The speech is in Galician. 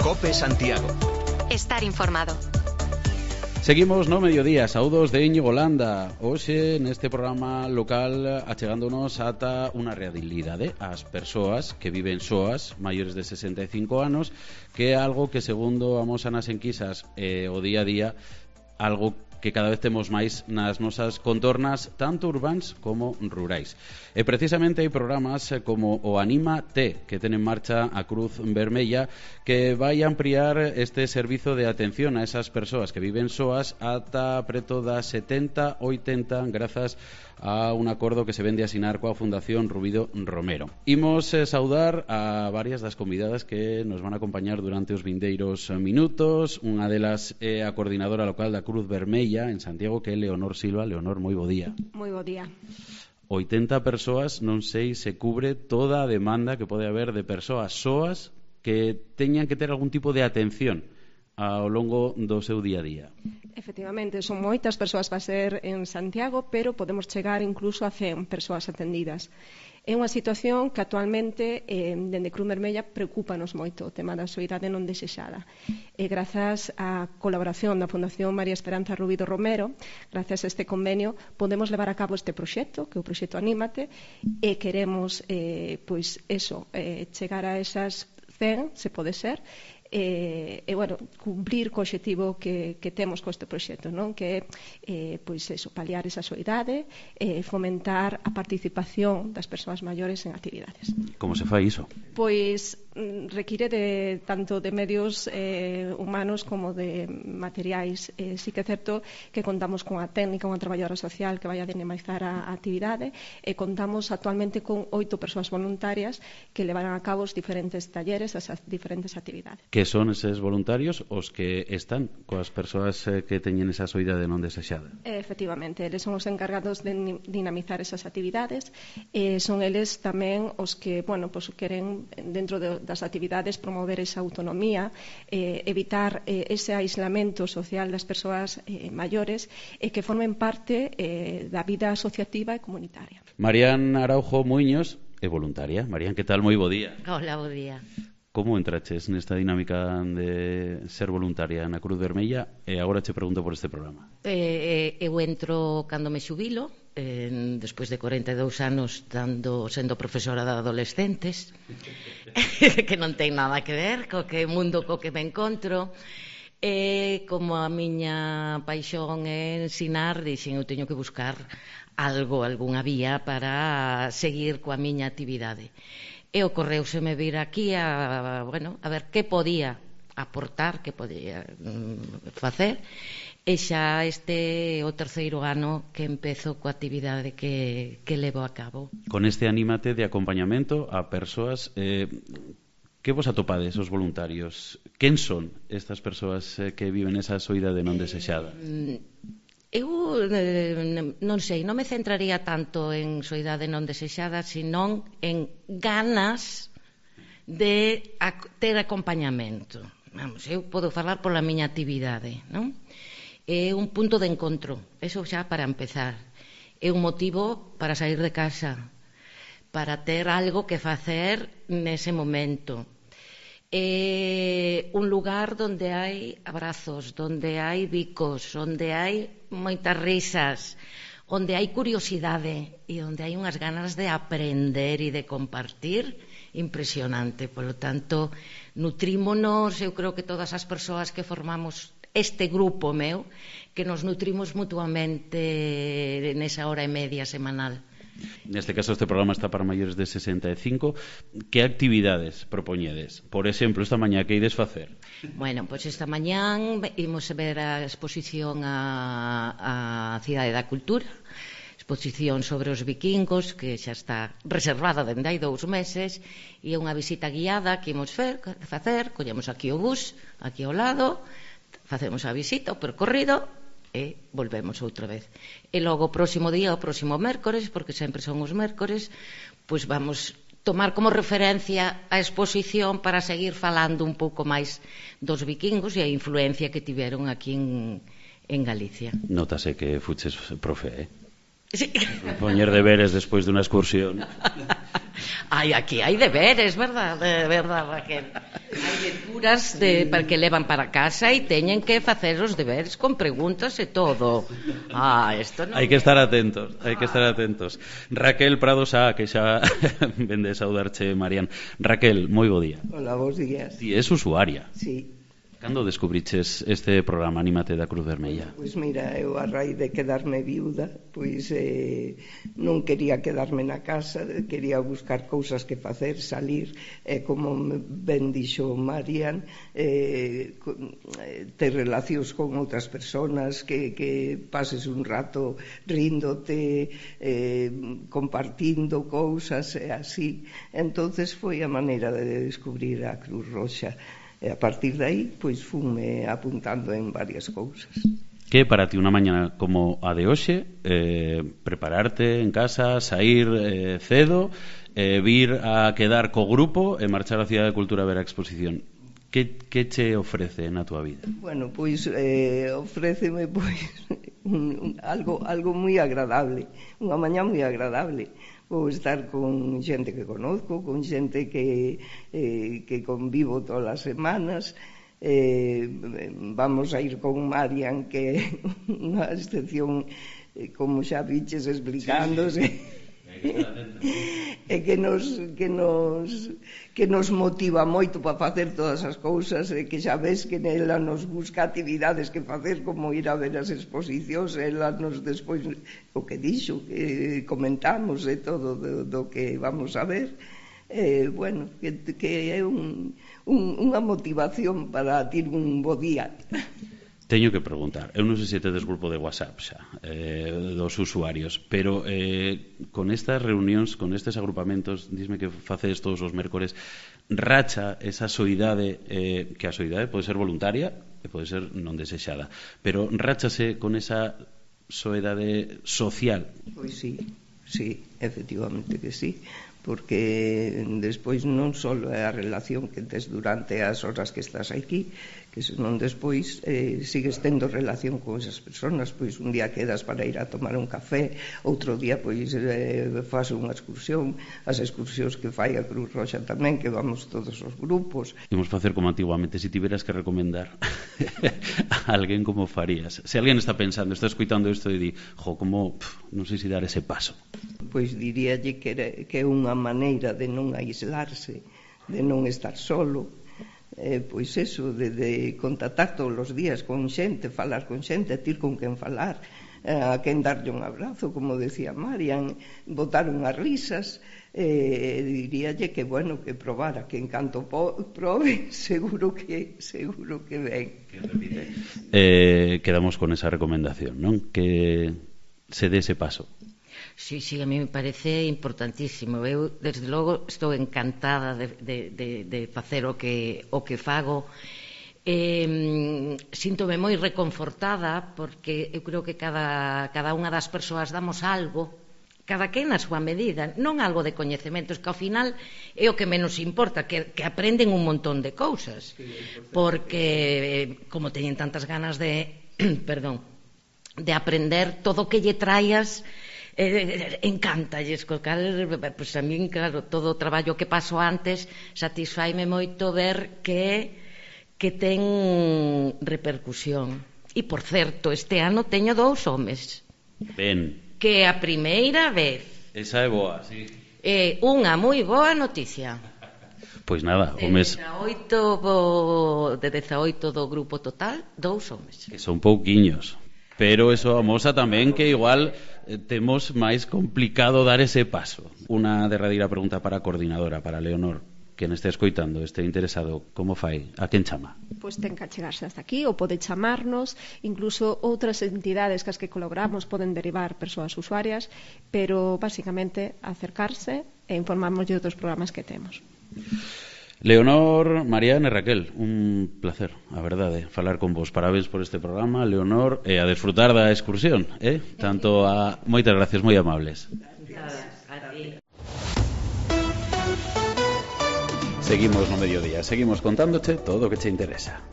COPE Santiago. Estar informado. Seguimos no mediodía, saúdos de Íñigo Landa. Hoxe neste programa local achegándonos ata unha realidade, as persoas que viven soas, maiores de 65 anos, que é algo que segundo amosan as enquisas o día a día, algo que cada vez temos máis nas nosas contornas, tanto urbáns como rurais. E precisamente hai programas como o Anima T, que ten en marcha a Cruz Vermella, que vai ampliar este servizo de atención a esas persoas que viven soas ata preto das 70, 80, grazas a un acordo que se vende a asinar coa Fundación Rubido Romero. Imos saudar a varias das convidadas que nos van a acompañar durante os vindeiros minutos. Unha delas é a coordinadora local da Cruz Vermella en Santiago, que é Leonor Silva. Leonor, moi bo día. Moi bo día. 80 persoas, non sei se cubre toda a demanda que pode haber de persoas soas que teñan que ter algún tipo de atención ao longo do seu día a día. Efectivamente, son moitas persoas para ser en Santiago, pero podemos chegar incluso a 100 persoas atendidas. É unha situación que actualmente, dende Cruz Vermella, preocúpanos moito o tema da soidade non desexada. E grazas á colaboración da Fundación María Esperanza Rubido Romero, grazas a este convenio, podemos levar a cabo este proxecto, que é o proxecto Anímate, e queremos, chegar a esas 100, se pode ser, cumplir co obxectivo que temos con este proxecto, non? Que é paliar esa soidade, fomentar a participación das persoas maiores en actividades. Como se fai iso? Pois require de tanto de medios humanos como de materiais. Sí que é certo que contamos con a técnica, unha traballadora social que vai a dinamizar a actividade, e contamos actualmente con 8 persoas voluntarias que levarán a cabo os diferentes talleres, as diferentes actividades. Que son eses voluntarios os que están coas persoas que teñen esa soidade non desexada? Efectivamente, eles son os encargados de dinamizar esas actividades, son eles tamén os que, queren dentro das actividades promover esa autonomía, evitar ese aislamento social das persoas maiores e que formen parte da vida asociativa e comunitaria. Marián Araujo Muiños é voluntaria. Marián, que tal? Moi bo día. Hola, bo día. Como entraches nesta dinámica de ser voluntaria na Cruz Vermella? E agora che pregunto por este programa. Eu entro cando me xubilo, despois de 42 anos sendo profesora de adolescentes, que non ten nada que ver co que mundo co que me encontro. E como a miña paixón é ensinar, dixen, eu teño que buscar algunha vía para seguir coa miña actividade. E ocorreuseme vir aquí a ver que podía aportar, que podía facer, e xa este é o terceiro ano que empezo coa actividade que levo a cabo. Con este Anímate de acompañamento a persoas, que vos atopades os voluntarios? Quen son estas persoas que viven esa soidade non desexada? Eu non sei, non me centraría tanto en soidade non desexada, senón en ganas de ter acompañamento. Eu podo falar pola miña actividade, non? É un punto de encontro, eso xa para empezar. É un motivo para sair de casa, para ter algo que facer nese momento. É un lugar onde hai abrazos, onde hai bicos, onde hai moitas risas, onde hai curiosidade e onde hai unhas ganas de aprender e de compartir impresionante. Por lo tanto, nutrímonos, eu creo que todas as persoas que formamos este grupo meu, que nos nutrimos mutuamente nesa hora e media semanal. Neste caso, este programa está para maiores de 65. Que actividades propoñedes? Por exemplo, esta mañá, que ides facer? Bueno, pois esta mañán imos ver a exposición a Cidade da Cultura, exposición sobre os vikingos, que xa está reservada dende hai 2 meses, e é unha visita guiada que imos facer, collemos aquí o bus, aquí ao lado, facemos a visita, o percorrido, e volvemos outra vez. E logo o próximo día, o próximo mércores, porque sempre son os mércores, pois vamos tomar como referencia a exposición para seguir falando un pouco máis dos vikingos e a influencia que tiveron aquí en Galicia. Nótase que fuches profe, Sí. Poñer deberes despois dunha excursión. Aquí hai deberes, verdad, Raquel? Hai lecturas para que levan para casa e teñen que facer os deberes con preguntas e todo. Isto non... Hai que estar atentos, Raquel Prado Sá, que xa vende saudarche, Marian. Raquel, moi bo día. Hola, bons días. Ti és usuaria. Sí. Cando descubriches este programa Anímate da Cruz Vermella? Pois mira, eu a raíz de quedarme viuda, pois non quería quedarme na casa, quería buscar cousas que facer, salir, como ben dixo Marian, ter relacións con outras persoas, que pases un rato ríndote, compartindo cousas e así. Entonces foi a maneira de descubrir a Cruz Roxa. E a partir de aí, pois fume apuntando en varias cousas. Que para ti unha mañana como a de hoxe, prepararte en casa, sair cedo, vir a quedar co grupo e marchar á Cidade de Cultura a ver a exposición. Que che ofrece na túa vida? Bueno, pois ofréceme algo moi agradable, unha mañá moi agradable. Vou estar con xente que conozco, con xente que convivo todas as semanas. Vamos a ir con Marian, que é unha excepción, como xa viches, explicándose. E que nos motiva moito para facer todas as cousas, e que xa ves que ela nos busca actividades que facer, como ir a ver as exposicións. Ela nos despois o que dixo, que comentamos e todo do que vamos a ver, bueno, que é unha motivación para ter un bo día. Teño que preguntar, eu non sei se tedes grupo de WhatsApp xa, dos usuarios, pero con estas reunións, con estes agrupamentos, dísme que facedes todos os mércores, racha esa soidade, que a soidade pode ser voluntaria e pode ser non desexada, pero rachase con esa soidade social? Pois sí, efectivamente que sí, porque despois non só é a relación que tes durante as horas que estás aquí, que senón despois sigues tendo relación con esas persoas. Pois un día quedas para ir a tomar un café, outro día pois faz unha excursión, as excursións que fai a Cruz Roxa tamén, que vamos todos os grupos. Imos facer como antiguamente, se tiveras que recomendar a alguén, como farías? Se alguén está pensando, está escuitando isto e di, como, non sei se dar ese paso. Pois diríalle que é unha maneira de non aislarse, de non estar solo. Pois eso, de contactar todos os días con xente, falar con xente, ter con quen falar, a quen darlle un abrazo, como decía Marian, botar unhas risas. Diríalle que, bueno, que probara, que en canto probe, seguro que ven. Quedamos con esa recomendación, non? Que se dé ese paso. Sí, a mí me parece importantísimo. Eu, desde logo, estou encantada de facer o que fago. Síntome moi reconfortada, porque eu creo que cada unha das persoas damos algo, cada quen na súa medida, non algo de coñecementos, que ao final é o que menos importa, que aprenden un montón de cousas, porque como teñen tantas ganas de aprender, todo o que lle traías encántalles, pois a min, claro, todo o traballo que paso antes satisfaime moito ver que ten repercusión. E, por certo, este ano teño 2 homes. Ben. Que a primeira vez. Esa é boa, sí. É unha moi boa noticia. Pois nada, homes... De 18 do grupo total, 2 homes. Que son pouquiños. Pero eso amosa tamén que igual temos máis complicado dar ese paso. Unha derradeira pregunta para a coordinadora, para Leonor, que este escoitando, este interesado, como fai? A quen chama? Pois ten que achegarse hasta aquí, ou pode chamarnos, incluso outras entidades que as que colaboramos poden derivar persoas usuarias, pero basicamente acercarse e informarnos de outros programas que temos. Leonor, Marian e Raquel, un placer, a verdade, falar con vos. Parabéns por este programa, Leonor, e a desfrutar da excursión, tanto a... Moitas gracias, moi amables. Seguimos no mediodía, seguimos contándoche todo o que che interesa.